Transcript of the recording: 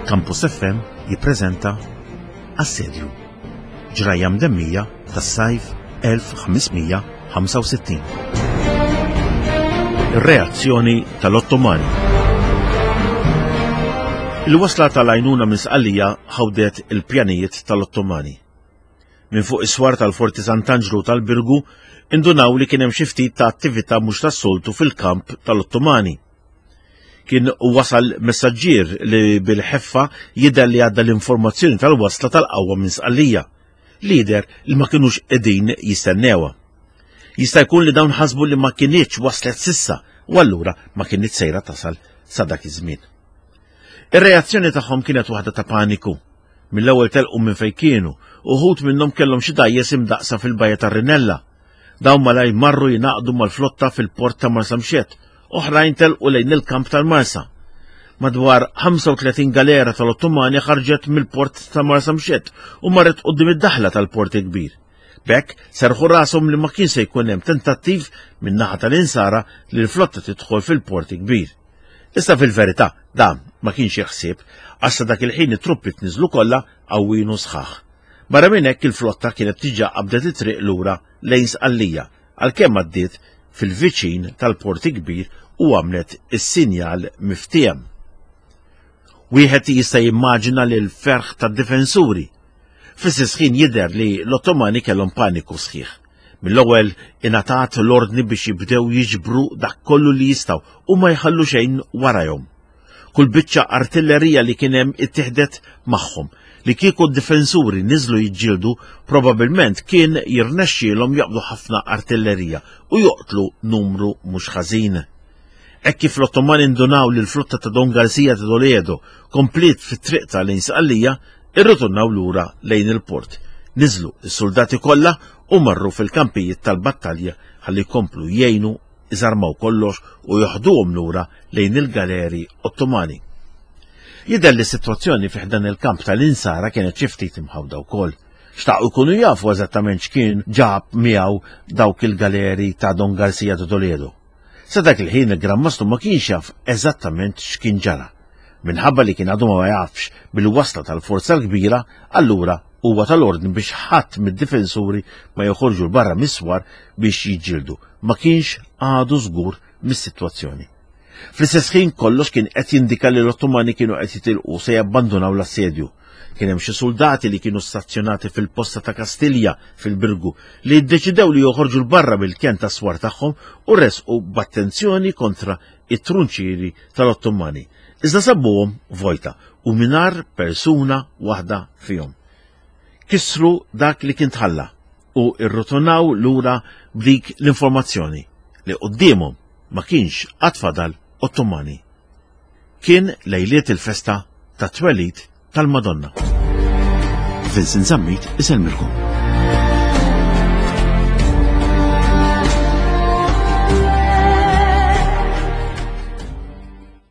Campus FM jippreżenta Assedju. Ġrajja mdemmija tas-sajf 1565. Ir-reazzjoni tal-Ottomani. Il-wasla tal-għajnuna minn Sqallija ħawdet il-pjanijiet tal-Ottomani. Minn fuq is-swar tal-Forti Sant'Anġlu tal-Birgu indunaw li kien hemm xi ftit ta' attività mhux tas-soltu fil-kamp tal-Ottomani. Kien wasal messaġġier li bil-ħeffa jidher li għadda l-informazzjoni tal-wasla tal-qawwa minn Sqallija, li jidher li ma kinux qegħdin jistennewha. Jista' jkun li dawn ħasbu li ma kinitx waslet sissa u allura ma kinitx sejra tasal sa dak iż-żmien. Ir-reazzjoni tagħhom kienet waħda ta' paniku. Mill-ewwel telqu minn fejn kienu, uħud minnhom kellhom xi dgħajjes imdaqqsa fil-bajja tar-Rinella. Dawn malajr marru jingħaqdu mal-flotta fil-port ta' Marsamxett, oħrajn telqu lejn il-kamp tal-Marsa. Madwar 35 galera tal-Ottomani ħarġet mill-port ta' Marsamxett u marret quddiem id-daħla tal-port il-kbir. B'hekk serħu rashom li ma kien se jkun hemm tentattiv min-naħa tal-Insara li l-flotta tidħol fil-port il-kbir. Issa fil-verità dan ma kienx ħsieb għax sa dak il-ħin it-truppi tniżlu kollha qawwin u sħaħ. Barra minn hekk il-flotta kienet diġà qabdet it-triq lura lejn Sqallija għalkemm għaddiet fil-viċin tal-Port il-Kbir u għamlet is-sinjal miftiehem. Wieħed jista' jimmaġina li l-ferħ tad-difensuri. Fl-istess ħin jidher li l-Ottomani kellhom paniku sħiħ. Mill-ewwel ingħatat l-ordni biex jibdew jiġbru dak kollu li jistgħu u ma jħallu xejn warajhom. Kull biċċa artillerija li kien hemm ittieħdet magħhom. Li kieku d-difensuri niżlu jiġġieldu, probabbilment kien jirnexxielhom jaqbdu ħafna artillerija u joqtlu numru mhux ħażin. Hekk kif l-Ottomani ndunaw li l-flotta ta' Don Garcia de Toledo kompliet fit-triqta lejn Sqallija, irritornaw lura lejn il-port. Niżlu s-suldati kollha u marru fil-kampijiet tal-battalja ħalli jkomplu jgħinu iżarmaw kollox u joħduhom lura lejn il-galeri Ottomani. Jidher li s-sitwazzjoni fi ħdan il-kamp tal-Insara kienet xi ftit imħawda wkoll. Xtaqu jkunu jafu eżattament x'kien ġab miegħu dawk il-galeri ta' Don Garcia de Toledo. Sa dak il-ħin il-Gran Mastru ma kienx jaf eżattament x'kien ġara. Minħabba li kien għadu ma jafx bil-wasla tal-forza l-kbira, allura huwa tal-ordni biex ħadd mid-difensuri ma joħorġu 'l barra mis-swar biex jiġġieldu. Ma kienx għadu żgur mis-sitwazzjoni. Fl-istess ħin kollox kien qed jindika li l-Ottomani kienu qed jitilqu se jabbandunaw l-assedju. Kien hemm xi suldati li kienu stazzjonati fil-posta ta' Kastilja fil-Birgu li ddeċidew li joħorġu 'l barra mill-kenn tas-swar tagħhom u resqu b'attenzjoni kontra it-trunċieri tal-Ottomani. Iżda sabuhom vojta u mingħajr persuna waħda fihom. Kissru dak li kien tħalla u rrotonaw lura b'dik l-informazzjoni li quddiemhom ma kienx għad fadal Ottomani. Kien lejliet il-festa tat-twelid tal-Madonna. Vincent Zammit isellmilkom.